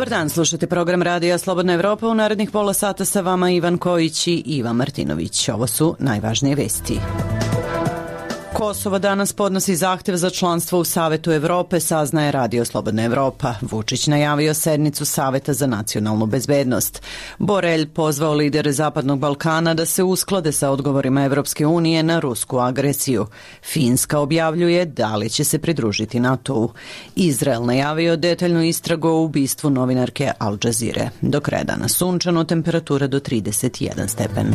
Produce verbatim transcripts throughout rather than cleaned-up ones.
Dobar dan, slušate program Radija Slobodna Evropa. U narednih pola sata sa vama Ivan Kojić i Iva Martinović. Ovo su najvažnije vesti. Kosovo danas podnosi zahtev za članstvo u Savetu Evrope, saznaje Radio Slobodna Evropa. Vučić najavio sednicu Saveta za nacionalnu bezbednost. Borelj pozvao lidere Zapadnog Balkana da se usklade sa odgovorima Evropske unije na rusku agresiju. Finska objavljuje da li će se pridružiti NATO-u. Izrael najavio detaljnu istragu o ubistvu novinarke Al Jazeere. Do kraja dana sunčano, temperatura do trideset jedan stepen.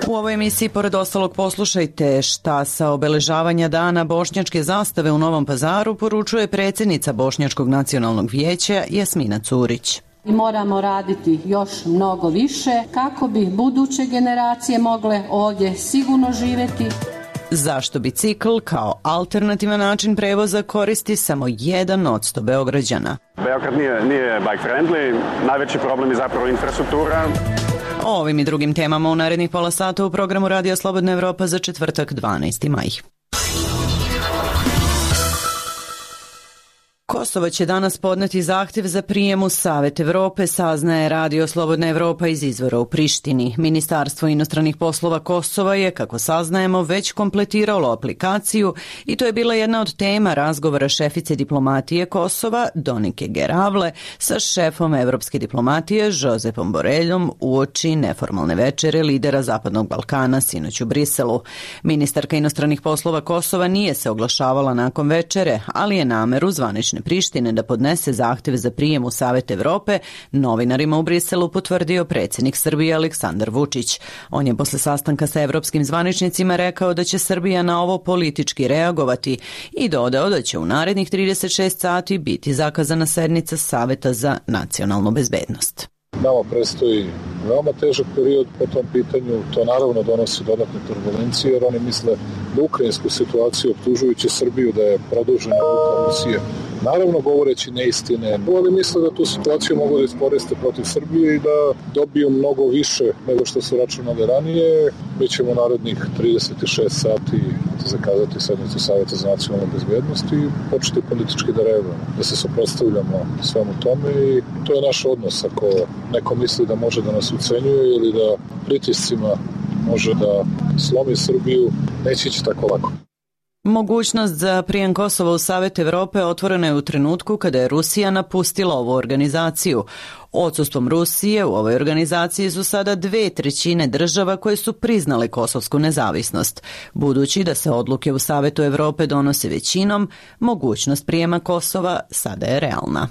U ovoj emisiji, pored ostalog, poslušajte šta sa obeležavanja dana bošnjačke zastave u Novom Pazaru poručuje predsjednica Bošnjačkog nacionalnog vijeća Jasmina Curić. Moramo raditi još mnogo više kako bi buduće generacije mogle ovdje sigurno živjeti. Zašto bicikl kao alternativan način prevoza koristi samo jedan od sto Beograđana? Beograd nije, nije bike friendly, najveći problem je zapravo infrastruktura. O ovim i drugim temama u narednih pola sata u programu Radija Slobodna Evropa za četvrtak dvanaesti maj. Kosovo će danas podneti zahtjev za prijem u Savet Evrope, saznaje Radio Slobodna Evropa iz izvora u Prištini. Ministarstvo inostranih poslova Kosova je, kako saznajemo, već kompletiralo aplikaciju i to je bila jedna od tema razgovora šefice diplomatije Kosova, Donike Geravle, sa šefom evropske diplomatije, Josepom Boreljom, uoči neformalne večere lidera Zapadnog Balkana sinoć u Briselu. Ministarka inostranih poslova Kosova nije se oglašavala nakon večere, ali je nameru zvanične Prištine da podnese zahtjev za prijem u Savet Evrope novinarima u Briselu potvrdio predsjednik Srbije Aleksandar Vučić. On je posle sastanka sa evropskim zvaničnicima rekao da će Srbija na ovo politički reagovati i dodao da će u narednih trideset šest sati biti zakazana sednica Saveta za nacionalnu bezbednost. Nama predstoji veoma težak period po tom pitanju, to naravno donosi dodatne turbulencije jer oni misle da ukrajinsku situaciju optužujući Srbiju da je produžena ruka Rusije. Naravno govoreći neistine, ali misle da tu situaciju mogu da iskoriste protiv Srbije i da dobiju mnogo više nego što su računali ranije. Mi ćemo narednih trideset šest sati zakazati sednicu Saveta za nacionalnu bezbednost i početi politički da reagujemo, da se suprotstavljamo svemu tome i to je naš odnos. Ako neko misli da može da nas ucenjuje ili da pritiscima može da slomi Srbiju, neće ići tako lako. Mogućnost za prijem Kosova u Savet Evrope otvorena je u trenutku kada je Rusija napustila ovu organizaciju. Odsustvom Rusije u ovoj organizaciji su sada dve trećine država koje su priznale kosovsku nezavisnost. Budući da se odluke u Savetu Evrope donose većinom, mogućnost prijema Kosova sada je realna.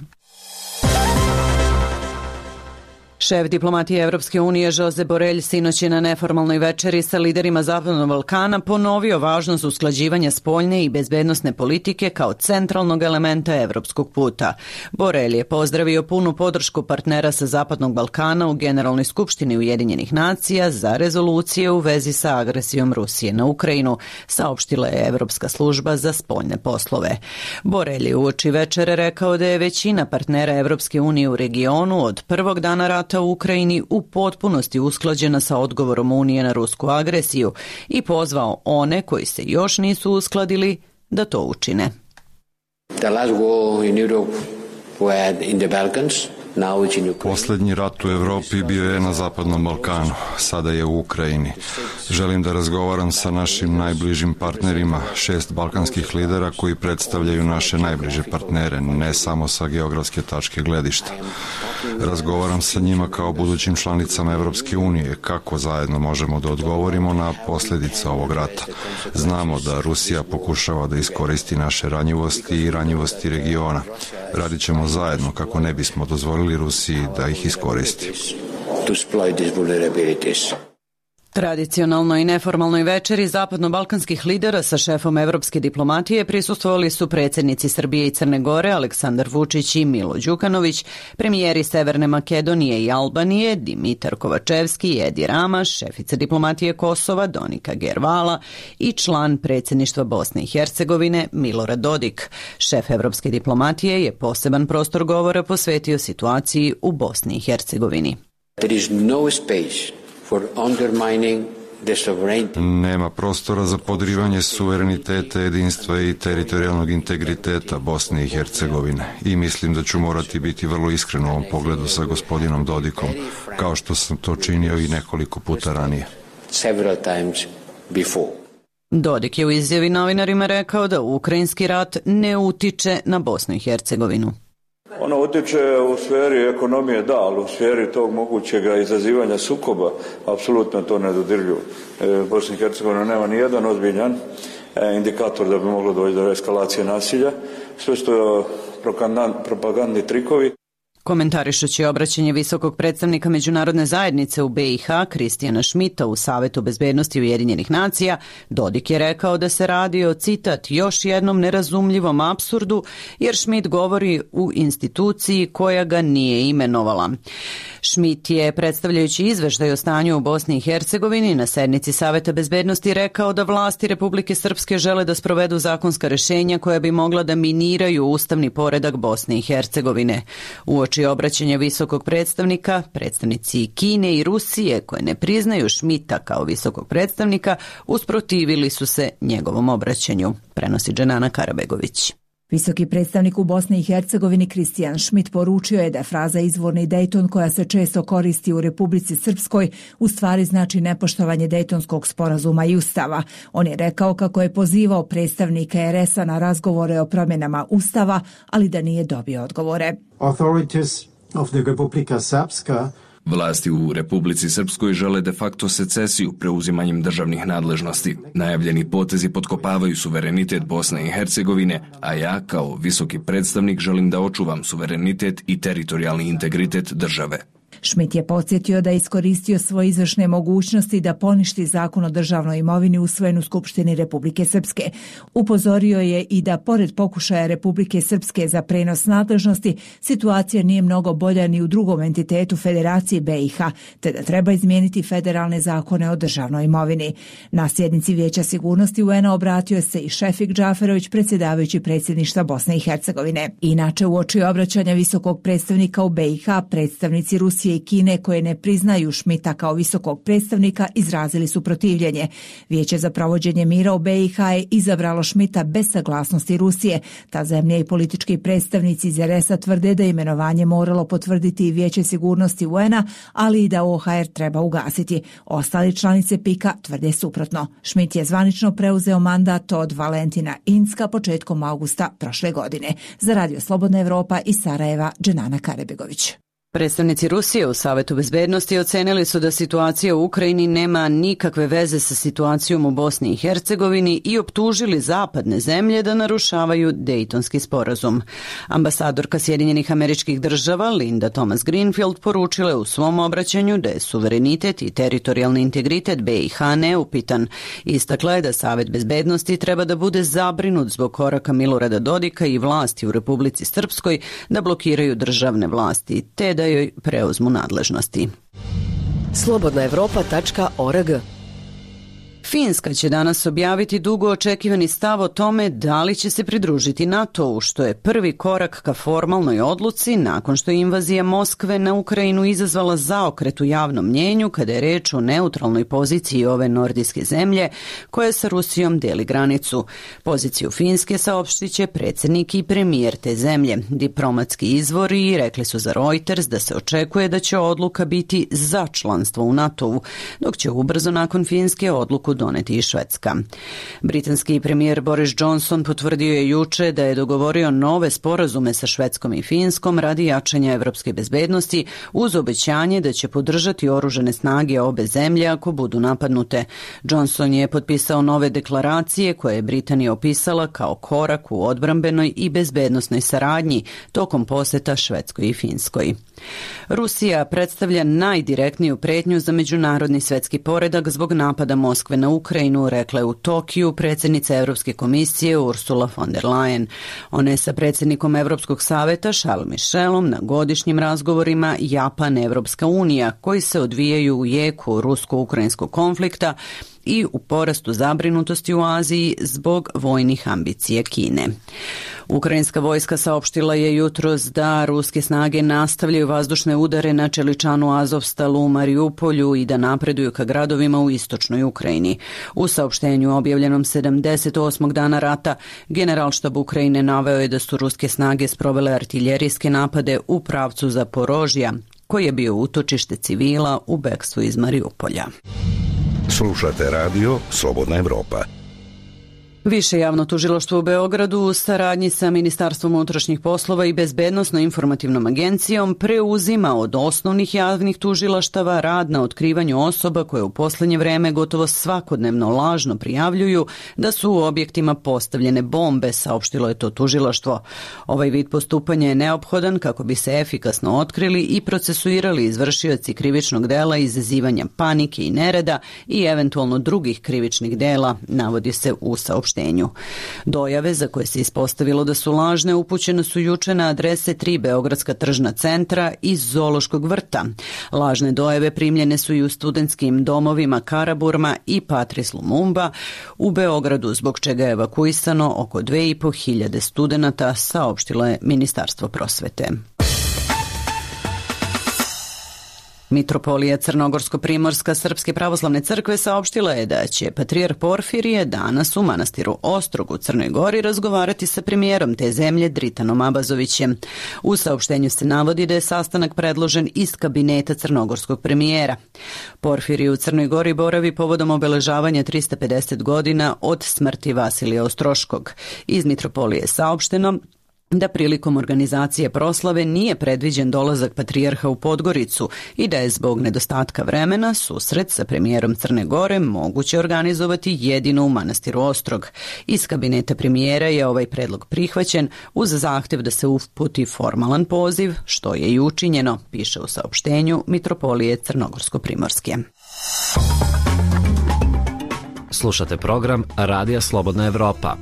Šef diplomatije Evropske unije Josep Borelj sinoć je na neformalnoj večeri sa liderima Zapadnog Balkana ponovio važnost usklađivanja spoljne i bezbednosne politike kao centralnog elementa evropskog puta. Borelj je pozdravio punu podršku partnera sa Zapadnog Balkana u Generalnoj skupštini Ujedinjenih nacija za rezolucije u vezi sa agresijom Rusije na Ukrajinu, saopštila je Evropska služba za spoljne poslove. Borelj je uoči večere rekao da je većina partnera Evropske unije u regionu od prvog dana rata u Ukrajini u potpunosti usklađena sa odgovorom Unije na rusku agresiju i pozvao one koji se još nisu uskladili da to učine. The last war in Europe was in the Balkans. Poslednji rat u Evropi bio je na Zapadnom Balkanu, sada je u Ukrajini. Želim da razgovaram sa našim najbližim partnerima, šest balkanskih lidera koji predstavljaju naše najbliže partnere, ne samo sa geografske tačke gledišta. Razgovaram sa njima kao budućim članicama Evropske unije, kako zajedno možemo da odgovorimo na posljedice ovog rata. Znamo da Rusija pokušava da iskoristi naše ranjivosti i ranjivosti regiona. Radit ćemo zajedno kako ne bismo dozvolili Rusiji da ih iskoristi. Tradicionalnoj i neformalnoj večeri zapadno-balkanskih lidera sa šefom evropske diplomatije prisustvovali su predsjednici Srbije i Crne Gore Aleksandar Vučić i Milo Đukanović, premijeri Severne Makedonije i Albanije Dimitar Kovačevski i Edi Rama, šefica diplomatije Kosova Donika Gervala i član predsjedništva Bosne i Hercegovine Milorad Dodik. Šef evropske diplomatije je poseban prostor govora posvetio situaciji u Bosni i Hercegovini. There is no space for undermining Nema prostora za podrivanje suvereniteta, jedinstva i teritorijalnog integriteta Bosne i Hercegovine i mislim da ću morati biti vrlo iskren u ovom pogledu sa gospodinom Dodikom, kao što sam to činio i nekoliko puta ranije. Dodik je u izjavi novinarima rekao da ukrajinski rat ne utiče na Bosnu i Hercegovinu. Ono utiče u sferi ekonomije, da, ali u sferi tog mogućega izazivanja sukoba, apsolutno to ne dodirljivo. E, Bosna i Hercegovina nema ni jedan ozbiljan e, indikator da bi moglo doći do eskalacije nasilja. Sve što propagandni trikovi. Komentarišući obraćanje visokog predstavnika međunarodne zajednice u B i H Kristijana Šmita u Savetu bezbednosti Ujedinjenih nacija, Dodik je rekao da se radi o, citat, još jednom nerazumljivom apsurdu, jer Šmit govori u instituciji koja ga nije imenovala. Šmit je, predstavljajući izveštaj o stanju u Bosni i Hercegovini, na sednici Saveta bezbednosti rekao da vlasti Republike Srpske žele da sprovedu zakonska rešenja koja bi mogla da miniraju ustavni poredak Bosne i Hercegovine. Uoči obraćanja visokog predstavnika, predstavnici Kine i Rusije, koje ne priznaju Šmita kao visokog predstavnika, usprotivili su se njegovom obraćanju, prenosi Dženana Karabegović. Visoki predstavnik u Bosni i Hercegovini Kristijan Šmit poručio je da fraza izvorni Dejton koja se često koristi u Republici Srpskoj u stvari znači nepoštovanje Dejtonskog sporazuma i ustava. On je rekao kako je pozivao predstavnike er es a na razgovore o promjenama ustava, ali da nije dobio odgovore. Authorities of the Republika Srpska Vlasti u Republici Srpskoj žele de facto secesiju preuzimanjem državnih nadležnosti. Najavljeni potezi potkopavaju suverenitet Bosne i Hercegovine, a ja kao visoki predstavnik želim da očuvam suverenitet i teritorijalni integritet države. Šmit je podsjetio da je iskoristio svoje izvršne mogućnosti da poništi zakon o državnoj imovini usvojen u Skupštini Republike Srpske. Upozorio je i da pored pokušaja Republike Srpske za prenos nadležnosti, situacija nije mnogo bolja ni u drugom entitetu Federacije B i H, te da treba izmijeniti federalne zakone o državnoj imovini. Na sjednici Vijeća sigurnosti U N a obratio se i Šefik Džaferović, predsjedavajući predsjedništva Bosne i Hercegovine. Inače, uoči obraćanja visokog predstavnika u B i H, predstavnici Rusije i Kine koje ne priznaju Šmita kao visokog predstavnika izrazili su protivljenje. Vijeće za provođenje mira u B i H je izabralo Šmita bez saglasnosti Rusije. Ta zemlja i politički predstavnici iz er es a tvrde da imenovanje moralo potvrditi i Vijeće sigurnosti U N a, ali i da O H R treba ugasiti. Ostali članice pika tvrde suprotno. Šmit je zvanično preuzeo mandat od Valentina Incka početkom augusta prošle godine. Za Radio Slobodna Evropa iz Sarajeva, Dženana Karebegović. Predstavnici Rusije u Savetu bezbednosti ocenili su da situacija u Ukrajini nema nikakve veze sa situacijom u Bosni i Hercegovini i optužili zapadne zemlje da narušavaju Dejtonski sporazum. Ambasadorka Sjedinjenih Američkih Država Linda Thomas Greenfield poručila je u svom obraćanju da je suverenitet i teritorijalni integritet B i H neupitan. Istakla je da Savet bezbednosti treba da bude zabrinut zbog koraka Milorada Dodika i vlasti u Republici Srpskoj da blokiraju državne vlasti, te da joj preuzmu nadležnosti. slobodna evropa tačka org. Finska će danas objaviti dugo očekivani stav o tome da li će se pridružiti NATO-u, što je prvi korak ka formalnoj odluci nakon što je invazija Moskve na Ukrajinu izazvala zaokret u javnom mnjenju kada je reč o neutralnoj poziciji ove nordijske zemlje koja sa Rusijom deli granicu. Poziciju Finske saopštit će predsjednik i premijer te zemlje. Diplomatski izvori rekli su za Reuters da se očekuje da će odluka biti za članstvo u NATO-u, dok će ubrzo nakon Finske odluku doneti i Švedska. Britanski premijer Boris Johnson potvrdio je juče da je dogovorio nove sporazume sa Švedskom i Finskom radi jačanja evropske bezbednosti uz obećanje da će podržati oružane snage obe zemlje ako budu napadnute. Johnson je potpisao nove deklaracije koje je Britanija opisala kao korak u odbrambenoj i bezbednosnoj saradnji tokom poseta Švedskoj i Finskoj. Rusija predstavlja najdirektniju pretnju za međunarodni svetski poredak zbog napada Moskve na Ukrajinu, rekla je u Tokiju predsjednica Evropske komisije Ursula von der Leyen. Ona je sa predsjednikom Evropskog saveta Charles Michelom na godišnjim razgovorima Japan-Evropska unija koji se odvijaju u jeku rusko-ukrajinskog konflikta i u porastu zabrinutosti u Aziji zbog vojnih ambicija Kine. Ukrajinska vojska saopštila je jutros da ruske snage nastavljaju vazdušne udare na čeličanu Azovstalu u Mariupolju i da napreduju ka gradovima u istočnoj Ukrajini. U saopštenju objavljenom sedamdeset osmog dana rata, Generalštab Ukrajine naveo je da su ruske snage sprovele artiljerijske napade u pravcu Zaporožja, koji je bio utočište civila u bekstvu iz Mariupolja. Slušate radio Slobodna Evropa. Više javno tužilaštvo u Beogradu u saradnji sa Ministarstvom unutrašnjih poslova i Bezbednosno-informativnom agencijom preuzima od osnovnih javnih tužilaštava rad na otkrivanju osoba koje u poslednje vreme gotovo svakodnevno lažno prijavljuju da su u objektima postavljene bombe, saopštilo je to tužilaštvo. Ovaj vid postupanja je neophodan kako bi se efikasno otkrili i procesuirali izvršioci krivičnog dela izazivanja panike i nereda i eventualno drugih krivičnih dela, navodi se u saopštenju. Dojave za koje se ispostavilo da su lažne upućene su juče na adrese tri beogradska tržna centra i zoološkog vrta. Lažne dojave primljene su i u studentskim domovima Karaburma i Patris Lumumba u Beogradu, zbog čega je evakuisano oko dve i po hiljade studenata, saopštilo je Ministarstvo prosvete. Mitropolija Crnogorsko-Primorska Srpske pravoslavne crkve saopštila je da će patrijarh Porfirije danas u manastiru Ostrog u Crnoj Gori razgovarati sa premijerom te zemlje Dritanom Abazovićem. U saopštenju se navodi da je sastanak predložen iz kabineta crnogorskog premijera. Porfirije u Crnoj Gori boravi povodom obeležavanja trista pedeset godina od smrti Vasilija Ostroškog. Iz Mitropolije je saopšteno da prilikom organizacije proslave nije predviđen dolazak patrijarha u Podgoricu i da je zbog nedostatka vremena susret sa premijerom Crne Gore moguće organizovati jedino u manastiru Ostrog. Iz kabineta premijera je ovaj predlog prihvaćen uz zahtev da se uputi formalan poziv, što je i učinjeno, piše u saopštenju Mitropolije Crnogorsko-Primorske. Slušate program Radija Slobodna Evropa.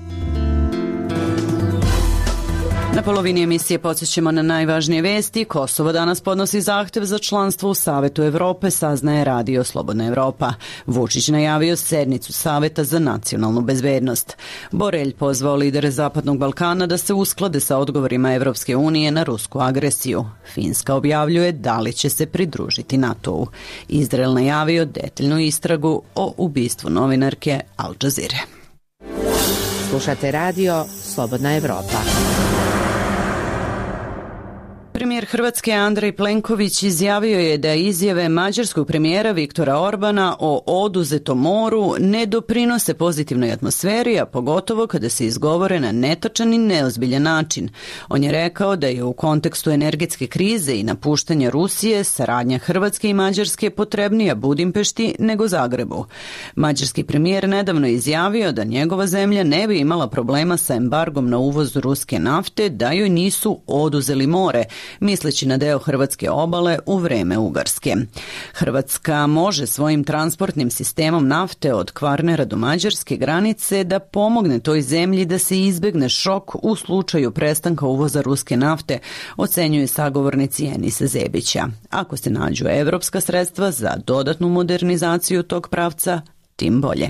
Na polovini emisije podsjećamo na najvažnije vesti. Kosovo danas podnosi zahtev za članstvo u Savetu Evrope, saznaje Radio Slobodna Evropa. Vučić najavio sednicu Saveta za nacionalnu bezbednost. Borelj pozvao lidere Zapadnog Balkana da se usklade sa odgovorima Evropske unije na rusku agresiju. Finska objavljuje da li će se pridružiti NATO-u. Izrael najavio detaljnu istragu o ubistvu novinarke Al Jazeere. Slušate Radio Slobodna Evropa. Premijer Hrvatske Andrej Plenković izjavio je da izjave mađarskog premijera Viktora Orbana o oduzetom moru ne doprinose pozitivnoj atmosferi, a pogotovo kada se izgovore na netačan i neozbiljan način. On je rekao da je u kontekstu energetske krize i napuštanja Rusije saradnja Hrvatske i Mađarske potrebnija Budimpešti nego Zagrebu. Mađarski premijer nedavno izjavio da njegova zemlja ne bi imala problema sa embargom na uvoz ruske nafte da joj nisu oduzeli more, misleći na deo hrvatske obale u vreme Ugarske. Hrvatska može svojim transportnim sistemom nafte od Kvarnera do mađarske granice da pomogne toj zemlji da se izbegne šok u slučaju prestanka uvoza ruske nafte, ocenjuje sagovornici Enisa Zebića. Ako se nađu evropska sredstva za dodatnu modernizaciju tog pravca, tim bolje.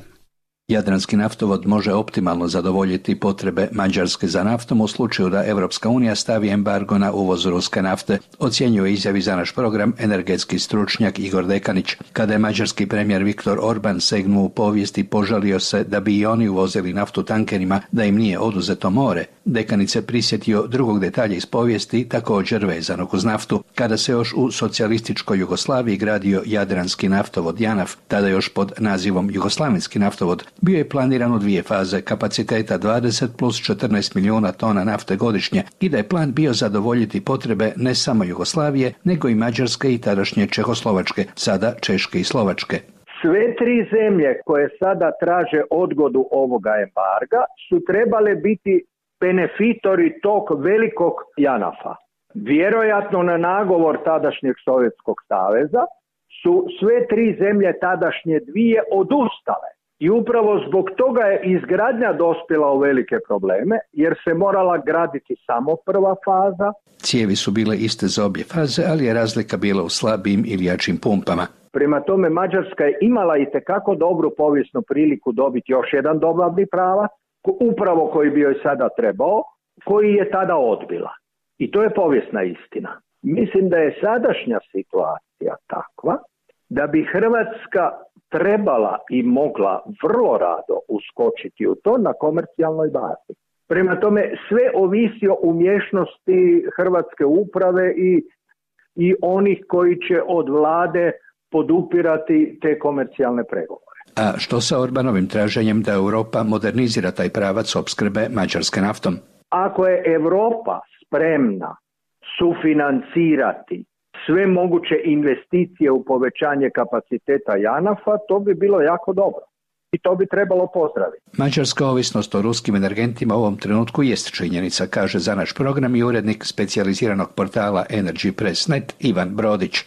Jadranski naftovod može optimalno zadovoljiti potrebe Mađarske za naftom u slučaju da Evropska unija stavi embargo na uvoz ruske nafte, ocjenjuje izjavi za naš program energetski stručnjak Igor Dekanić. Kada je mađarski premijer Viktor Orban segnuo u povijest i požalio se da bi i oni uvozili naftu tankerima, da im nije oduzeto more, Dekanić se prisjetio drugog detalja iz povijesti, također vezanog uz naftu. Kada se još u socijalističkoj Jugoslaviji gradio Jadranski naftovod JANAF, tada još pod nazivom Jugoslavenski naftovod, bio je planiran u dvije faze kapaciteta dvadeset plus četrnaest milijuna tona nafte godišnje i da je plan bio zadovoljiti potrebe ne samo Jugoslavije, nego i Mađarske i tadašnje Čehoslovačke, sada Češke i Slovačke. Sve tri zemlje koje sada traže odgodu ovoga embarga su trebale biti benefitori tog velikog JANAF-a. Vjerojatno na nagovor tadašnjeg Sovjetskog saveza su sve tri zemlje tadašnje dvije odustale. I upravo zbog toga je izgradnja dospjela u velike probleme, jer se morala graditi samo prva faza. Cijevi su bile iste za obje faze, ali je razlika bila u slabijim ili jačim pumpama. Prema tome, Mađarska je imala i tekako dobru povijesnu priliku dobiti još jedan dobavni pravac, upravo koji bi joj sada trebao, koji je tada odbila. I to je povijesna istina. Mislim da je sadašnja situacija takva da bi Hrvatska trebala i mogla vrlo rado uskočiti u to na komercijalnoj bazi. Prema tome, sve ovisi o umješnosti hrvatske uprave i, i onih koji će od vlade podupirati te komercijalne pregovore. A što sa Orbanovim traženjem da Europa modernizira taj pravac opskrbe Mađarske naftom? Ako je Europa spremna sufinancirati sve moguće investicije u povećanje kapaciteta JANAF-a, to bi bilo jako dobro. I to bi trebalo pozdraviti. Mađarska ovisnost o ruskim energentima u ovom trenutku jest činjenica, kaže za naš program i urednik specijaliziranog portala Energy Press punto net Ivan Brodić.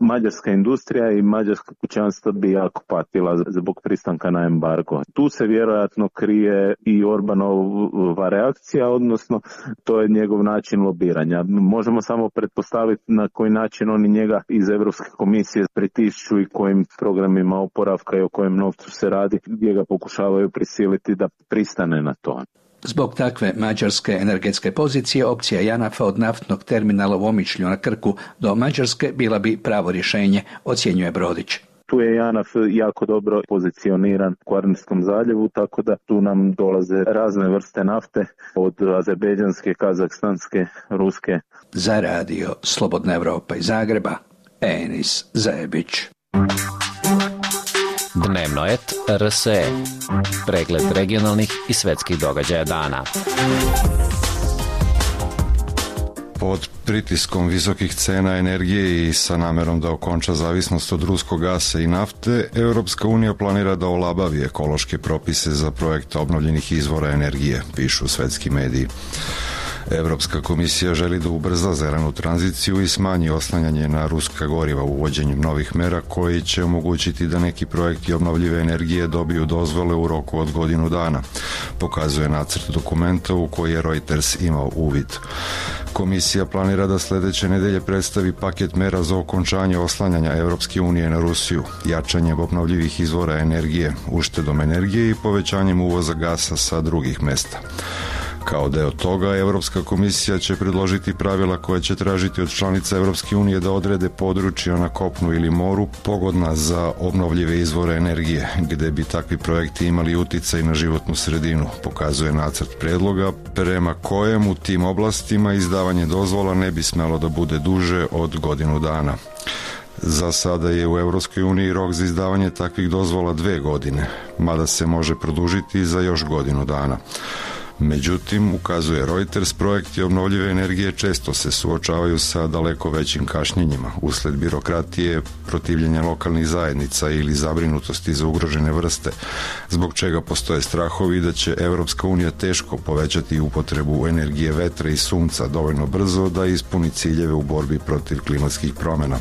Mađarska industrija i mađarska kućanstva bi jako patila zbog pristanka na embargo. Tu se vjerojatno krije i Orbanova reakcija, odnosno to je njegov način lobiranja. Možemo samo pretpostaviti na koji način oni njega iz Europske komisije pritišću i kojim programima oporavka i o kojem novcu se radi, gdje ga pokušavaju prisiliti da pristane na to. Zbog takve mađarske energetske pozicije, opcija JANAF-a od naftnog terminala u Omišlju na Krku do Mađarske bila bi pravo rješenje, ocjenjuje Brodić. Tu je JANAF jako dobro pozicioniran u Kvarnerskom zaljevu, tako da tu nam dolaze razne vrste nafte, od azerbejdžanske, kazahstanske, ruske. Za radio Slobodna Evropa iz Zagreba, Enis Zajebić. Dnevno et R S E. Pregled regionalnih i svetskih događaja dana. Pod pritiskom visokih cena energije i sa namerom da okonča zavisnost od ruskog gasa i nafte, Europska unija planira da olabavi ekološke propise za projekte obnovljenih izvora energije, pišu svetski mediji. Evropska komisija želi da ubrza zelenu tranziciju i smanji oslanjanje na ruska goriva uvođenjem novih mera koji će omogućiti da neki projekti obnovljive energije dobiju dozvole u roku od godinu dana, pokazuje nacrt dokumenta u koji je Reuters imao uvid. Komisija planira da sledeće nedelje predstavi paket mera za okončanje oslanjanja Evropske unije na Rusiju, jačanjem obnovljivih izvora energije, uštedom energije i povećanjem uvoza gasa sa drugih mesta. Kao deo toga, Evropska komisija će predložiti pravila koja će tražiti od članica Evropske unije da odrede područja na kopnu ili moru pogodna za obnovljive izvore energije, gde bi takvi projekti imali uticaj na životnu sredinu, pokazuje nacrt predloga, prema kojem u tim oblastima izdavanje dozvola ne bi smelo da bude duže od godinu dana. Za sada je u Evropskoj uniji rok za izdavanje takvih dozvola dve godine, mada se može produžiti za još godinu dana. Međutim, ukazuje Reuters, projekti obnovljive energije često se suočavaju sa daleko većim kašnjenjima usled birokratije, protivljenja lokalnih zajednica ili zabrinutosti za ugrožene vrste, zbog čega postoje strahovi da će Evropska unija teško povećati upotrebu energije vetra i sunca dovoljno brzo da ispuni ciljeve u borbi protiv klimatskih promjena.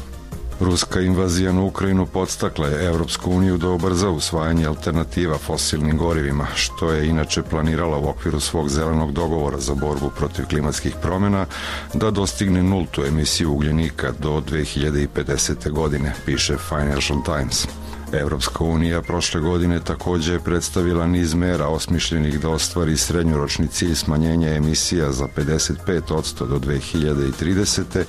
Ruska invazija na Ukrajinu podstakla je Evropsku uniju da ubrza usvajanje alternativa fosilnim gorivima, što je inače planirala u okviru svog zelenog dogovora za borbu protiv klimatskih promjena da dostigne nultu emisiju ugljenika do dve hiljade pedesete. godine, piše Financial Times. Evropska unija prošle godine također je predstavila niz mera osmišljenih da ostvari srednjoročni cilj smanjenja emisija za pedeset pet posto do dve hiljade tridesete.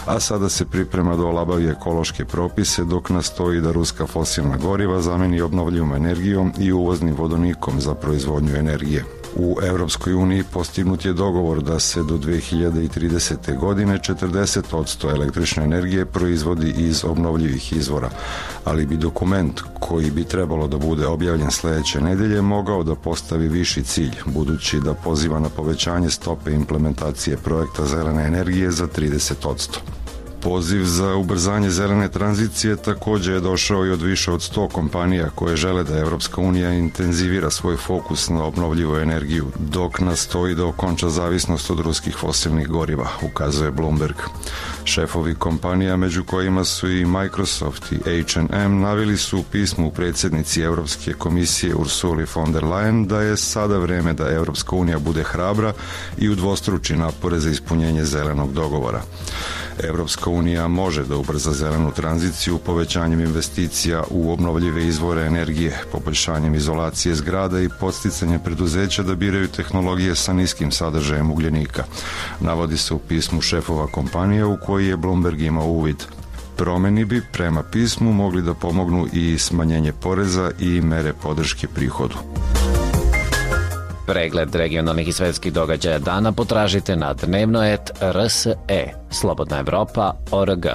a sada se priprema da olabavi ekološke propise dok nastoji da ruska fosilna goriva zameni obnovljivom energijom i uvoznim vodonikom za proizvodnju energije. U Evropskoj uniji postignut je dogovor da se do dve hiljade tridesete. godine četrdeset posto električne energije proizvodi iz obnovljivih izvora, ali bi dokument koji bi trebalo da bude objavljen sledeće nedelje mogao da postavi viši cilj, budući da poziva na povećanje stope implementacije projekta zelene energije za trideset posto. Poziv za ubrzanje zelene tranzicije također je došao i od više od sto kompanija koje žele da Evropska unija intenzivira svoj fokus na obnovljivu energiju, dok nastoji da okonča zavisnost od ruskih fosilnih goriva, ukazuje Bloomberg. Šefovi kompanija, među kojima su i Microsoft i H and M, naveli su u pismu predsjednici Evropske komisije Ursuli von der Leyen da je sada vreme da Evropska unija bude hrabra i udvostruči napore za ispunjenje zelenog dogovora. Evropska unija može da ubrza zelenu tranziciju povećanjem investicija u obnovljive izvore energije, poboljšanjem izolacije zgrada i podsticanje preduzeća da biraju tehnologije sa niskim sadržajem ugljenika, navodi se u pismu šefova kompanija u koji je Bloomberg imao uvid. Promeni bi prema pismu mogli da pomognu i smanjenje poreza i mere podrške prihodu. Pregled regionalnih i svetskih događaja dana potražite na dnevno et r s e, slobodna evropa tačka org.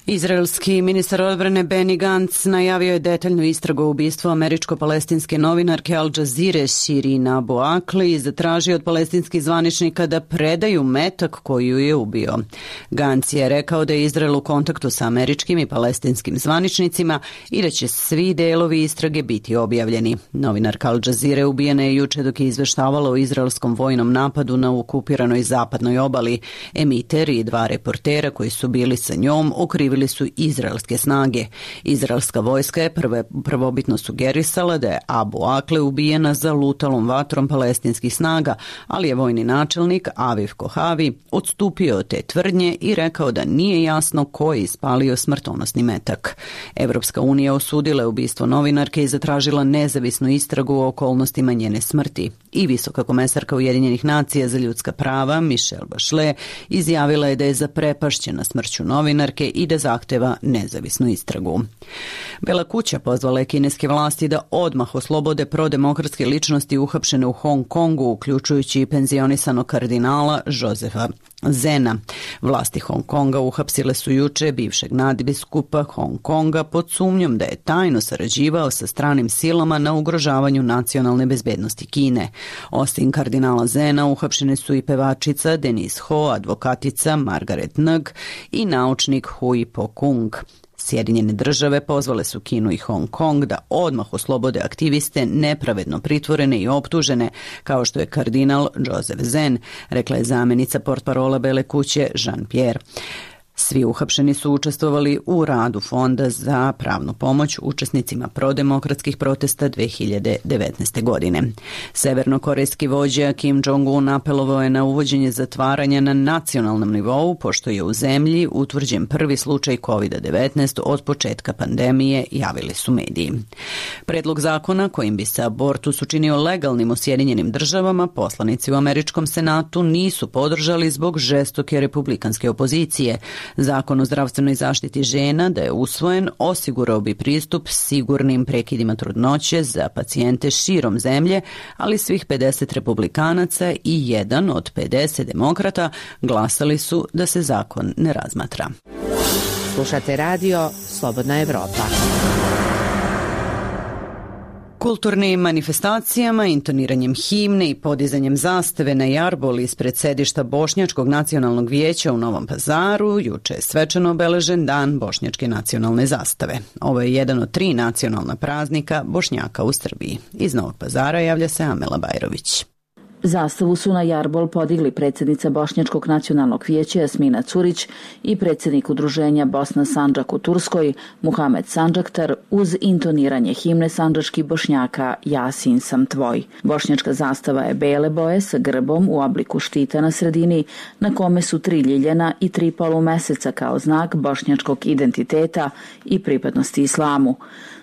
Izraelski ministar odbrane Benny Gantz najavio je detaljnu istragu o ubistvu američko-palestinske novinarke Al Jazeere Shirin Abu Akleh i zatražio od palestinskih zvaničnika da predaju metak koju je ubio. Gantz je rekao da je Izrael u kontaktu sa američkim i palestinskim zvaničnicima i da će svi delovi istrage biti objavljeni. Novinarka Al Jazeere ubijena je juče dok je izveštavala o izraelskom vojnom napadu na okupiranoj zapadnoj obali. Emiter i dva reportera koji su bili sa njom okrivili su izraelske snage. Izraelska vojska je prve, prvobitno sugerisala da je Abu Akleh ubijena zalutalom vatrom palestinskih snaga, ali je vojni načelnik Aviv Kohavi odstupio od te tvrdnje i rekao da nije jasno ko je ispalio smrtonosni metak. Evropska unija osudila je ubistvo novinarke i zatražila nezavisnu istragu o okolnostima njene smrti. I visoka komesarka Ujedinjenih nacija za ljudska prava Michelle Bachelet izjavila je da je zaprepašćena smrću novinarke i da zahteva nezavisnu istragu. Bela kuća pozvala je kineske vlasti da odmah oslobode prodemokratske ličnosti uhapšene u Hong Kongu, uključujući i penzionisanog kardinala Josefa Zena. Vlasti Hong Konga uhapsile su juče bivšeg nadbiskupa Hong Konga pod sumnjom da je tajno sarađivao sa stranim silama na ugrožavanju nacionalne bezbednosti Kine. Osim kardinala Zena uhapšene su i pevačica Denise Ho, advokatica Margaret Ng i naučnik Hui Po-kung. Sjedinjene države pozvale su Kinu i Hong Kong da odmah oslobode aktiviste nepravedno pritvorene i optužene, kao što je kardinal Joseph Zen, rekla je zamjenica portparola Bele kuće Jean-Pierre. Svi uhapšeni su učestvovali u radu Fonda za pravnu pomoć učesnicima prodemokratskih protesta dve hiljade devetnaeste. godine. Severnokorejski vođa Kim Jong-un apelovao je na uvođenje zatvaranja na nacionalnom nivou, pošto je u zemlji utvrđen prvi slučaj kovid devetnaest od početka pandemije, javili su mediji. Predlog zakona kojim bi se abortus učinio legalnim u Sjedinjenim državama, poslanici u američkom senatu nisu podržali zbog žestoke republikanske opozicije. Zakon o zdravstvenoj zaštiti žena, da je usvojen, osigurao bi pristup sigurnim prekidima trudnoće za pacijente širom zemlje, ali svih pedeset republikanaca i jedan od pedeset demokrata glasali su da se zakon ne razmatra. Slušate radio Slobodna Evropa. Kulturnim manifestacijama, intoniranjem himne i podizanjem zastave na jarbol ispred sedišta Bošnjačkog nacionalnog vijeća u Novom Pazaru juče je svečano obeležen Dan Bošnjačke nacionalne zastave. Ovo je jedan od tri nacionalna praznika Bošnjaka u Srbiji. Iz Novog Pazara javlja se Amela Bajrović. Zastavu su na jarbol podigli predsjednica Bošnjačkog nacionalnog vijeća Jasmina Curić i predsjednik udruženja Bosna Sandžak u Turskoj Muhamed Sandžaktar uz intoniranje himne sandžačkih Bošnjaka Jasin sam tvoj. Bošnjačka zastava je bele boje sa grbom u obliku štita na sredini na kome su tri ljiljana i tri polumeseca kao znak bošnjačkog identiteta i pripadnosti islamu.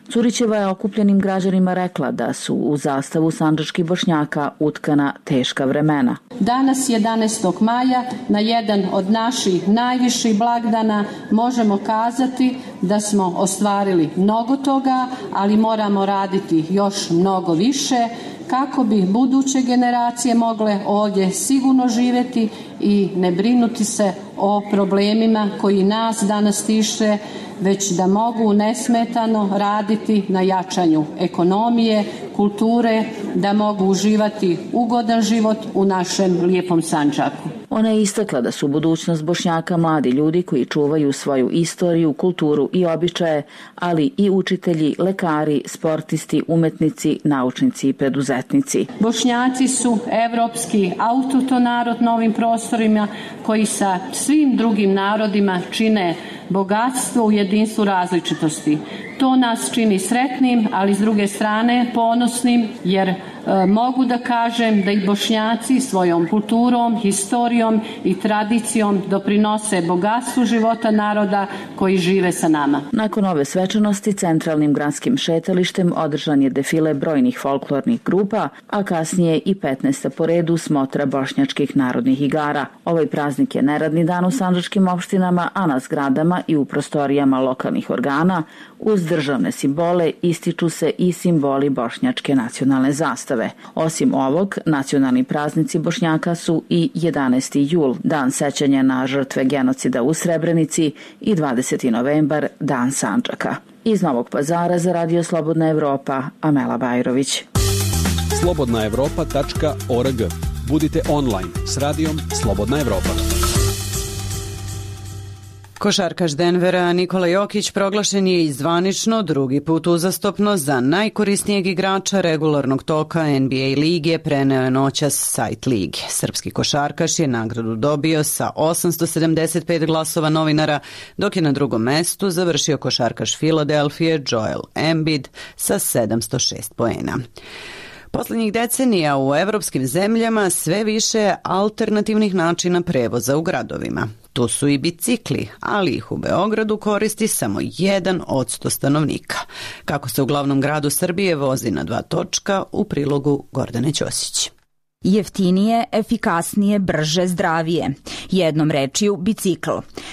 Curićeva je okupljenim građanima rekla da su u zastavu sandžačkih Bošnjaka utkana teška vremena. Danas jedanaestog maja na jedan od naših najviših blagdana možemo kazati da smo ostvarili mnogo toga, ali moramo raditi još mnogo više kako bi buduće generacije mogle ovdje sigurno živjeti i ne brinuti se o problemima koji nas danas tiše, već da mogu nesmetano raditi na jačanju ekonomije, kulture, da mogu uživati ugodan život u našem lijepom Sandžaku. Ona je istakla da su budućnost Bošnjaka mladi ljudi koji čuvaju svoju istoriju, kulturu i običaje, ali i učitelji, lekari, sportisti, umetnici, naučnici i preduzetnici. Bošnjaci su evropski autohton narod na ovim prostorima koji sa svim drugim narodima čine bogatstvo u jedinstvu različitosti. To nas čini sretnim, ali s druge strane ponosnim, jer e, mogu da kažem da i Bošnjaci svojom kulturom, historijom i tradicijom doprinose bogatstvu života naroda koji žive sa nama. Nakon ove svečanosti centralnim gradskim šetalištem održan je defile brojnih folklornih grupa, a kasnije i petnaesta po redu smotra bošnjačkih narodnih igara. Ovaj praznik je neradni dan u sandžačkim opštinama, a na zgradama i u prostorijama lokalnih organa uz državne simbole ističu se i simboli bošnjačke nacionalne zastave. Osim ovog, nacionalni praznici Bošnjaka su i jedanaesti jul, dan sećanja na žrtve genocida u Srebrenici, i dvadeseti novembar, dan Sandžaka. Iz Novog Pazara za Radio Slobodna Evropa, Amela Bajrović. slobodna evropa tačka org. Budite online s radijom Slobodna Evropa. Košarkaš Denvera Nikola Jokić proglašen je i zvanično drugi put uzastopno za najkorisnijeg igrača regularnog toka N B A lige, preneo je noćas sajt lige. Srpski košarkaš je nagradu dobio sa osamsto sedamdeset pet glasova novinara, dok je na drugom mestu završio košarkaš Filadelfije Joel Embiid sa sedamsto šest poena. Poslednjih decenija u evropskim zemljama sve više alternativnih načina prevoza u gradovima. Tu su i bicikli, ali ih u Beogradu koristi samo jedan od sto stanovnika. Kako se u glavnom gradu Srbije vozi na dva točka, u prilogu Gordane Ćosić. Jeftinije, efikasnije, brže, zdravije. Jednom rečju, bicikl.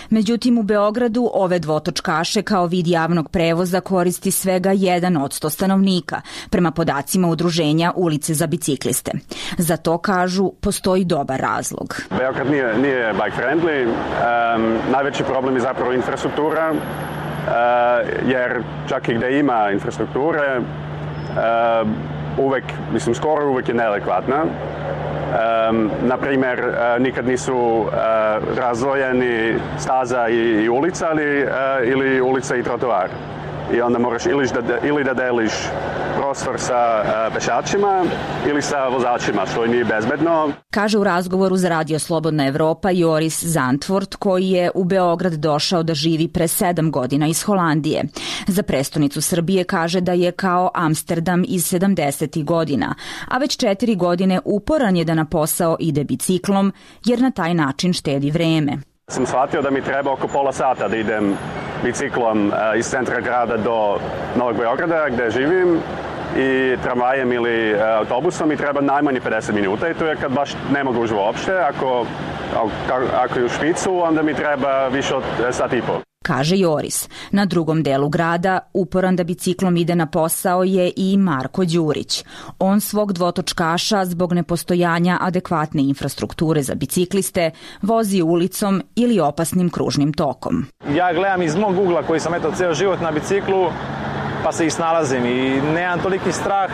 Međutim, u Beogradu ove dvotočkaše kao vid javnog prevoza koristi svega jedan od sto stanovnika, prema podacima udruženja Ulice za bicikliste. Za to, kažu, postoji dobar razlog. Beograd nije, nije bike friendly. Um, najveći problem je zapravo infrastruktura, uh, jer čak i gde ima infrastrukture, uh, uvek, mislim, skoro uvek je neadekvatna. Um, na primjer, uh, nikad nisu uh, razdvojeni staza i, i ulica, ali, uh, ili ulica i trotoar. I onda moraš ili da, ili da deliš prostor sa uh, pešačima ili sa vozačima, što nije bezbedno. Kaže u razgovoru za Radio Slobodna Evropa Joris Zandvoort, koji je u Beograd došao da živi pre sedam godina iz Holandije. Za prestonicu Srbije kaže da je kao Amsterdam iz sedamdesetih godina, a već četiri godine uporan je da na posao ide biciklom, jer na taj način štedi vreme. Sam shvatio da mi treba oko pola sata da idem biciklom uh, iz centra grada do Novog Beograda gde živim i tramvajem ili uh, autobusom i treba najmanje pedeset minuta i to je kad baš ne mogu už uopšte. Ako, ako, ako je u špicu, onda mi treba više od sat i pol. Kaže Joris. Na drugom delu grada uporan da biciklom ide na posao je i Marko Đurić. On svog dvotočkaša zbog nepostojanja adekvatne infrastrukture za bicikliste vozi ulicom ili opasnim kružnim tokom. Ja gledam iz mog ugla koji sam eto ceo život na biciklu, pa se i snalazim i nemam toliki strah,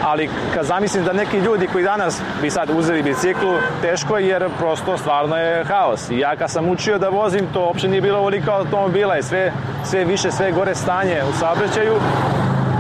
ali kad zamislim da neki ljudi koji danas bi sad uzeli biciklu, teško je jer prosto stvarno je haos. I ja kad sam učio da vozim, to uopšte nije bilo ovoliko automobila, je sve, sve više, sve gore stanje u saobraćaju,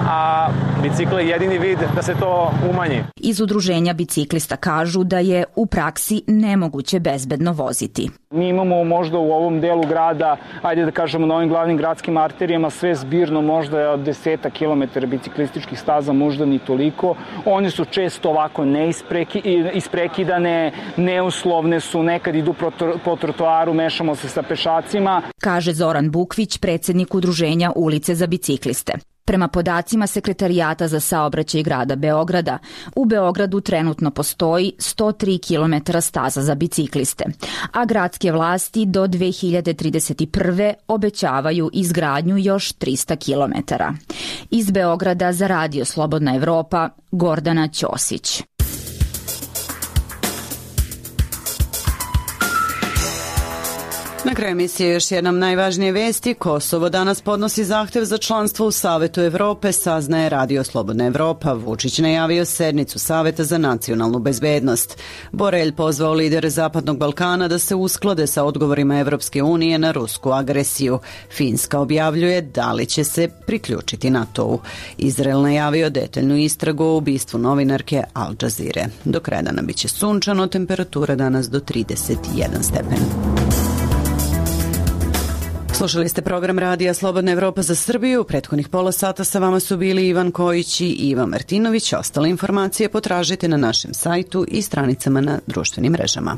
a bicikl je jedini vid da se to umanji. Iz udruženja biciklista kažu da je u praksi nemoguće bezbedno voziti. Mi imamo možda u ovom delu grada, ajde da kažemo na ovim glavnim gradskim arterijama, sve zbirno možda desetak kilometara biciklističkih staza, možda ni toliko. One su često ovako neisprekidane, neuslovne su, nekad idu po trotoaru, mešamo se sa pešacima. Kaže Zoran Bukvić, predsednik udruženja Ulice za bicikliste. Prema podacima Sekretarijata za saobraćaj grada Beograda, u Beogradu trenutno postoji sto tri kilometra staza za bicikliste, a gradske vlasti do dve hiljade trideset prve obećavaju izgradnju još trista kilometara. Iz Beograda za Radio Slobodna Evropa, Gordana Ćosić. Na kraju emisije još jednom najvažnije vesti. Kosovo danas podnosi zahtev za članstvo u Savetu Evrope, saznaje Radio Slobodna Evropa. Vučić najavio sednicu Saveta za nacionalnu bezbednost. Borelj pozvao lidere Zapadnog Balkana da se usklade sa odgovorima Evropske unije na rusku agresiju. Finska objavljuje da li će se priključiti NATO-u. Izrael najavio detaljnu istragu o ubistvu novinarke Al Jazeere. Do kraja dana biće sunčano, temperatura danas do trideset jedan stepen. Slušali ste program Radija Slobodna Evropa za Srbiju. U prethodnih pola sata sa vama su bili Ivan Kojić i Iva Martinović. Ostale informacije potražite na našem sajtu i stranicama na društvenim mrežama.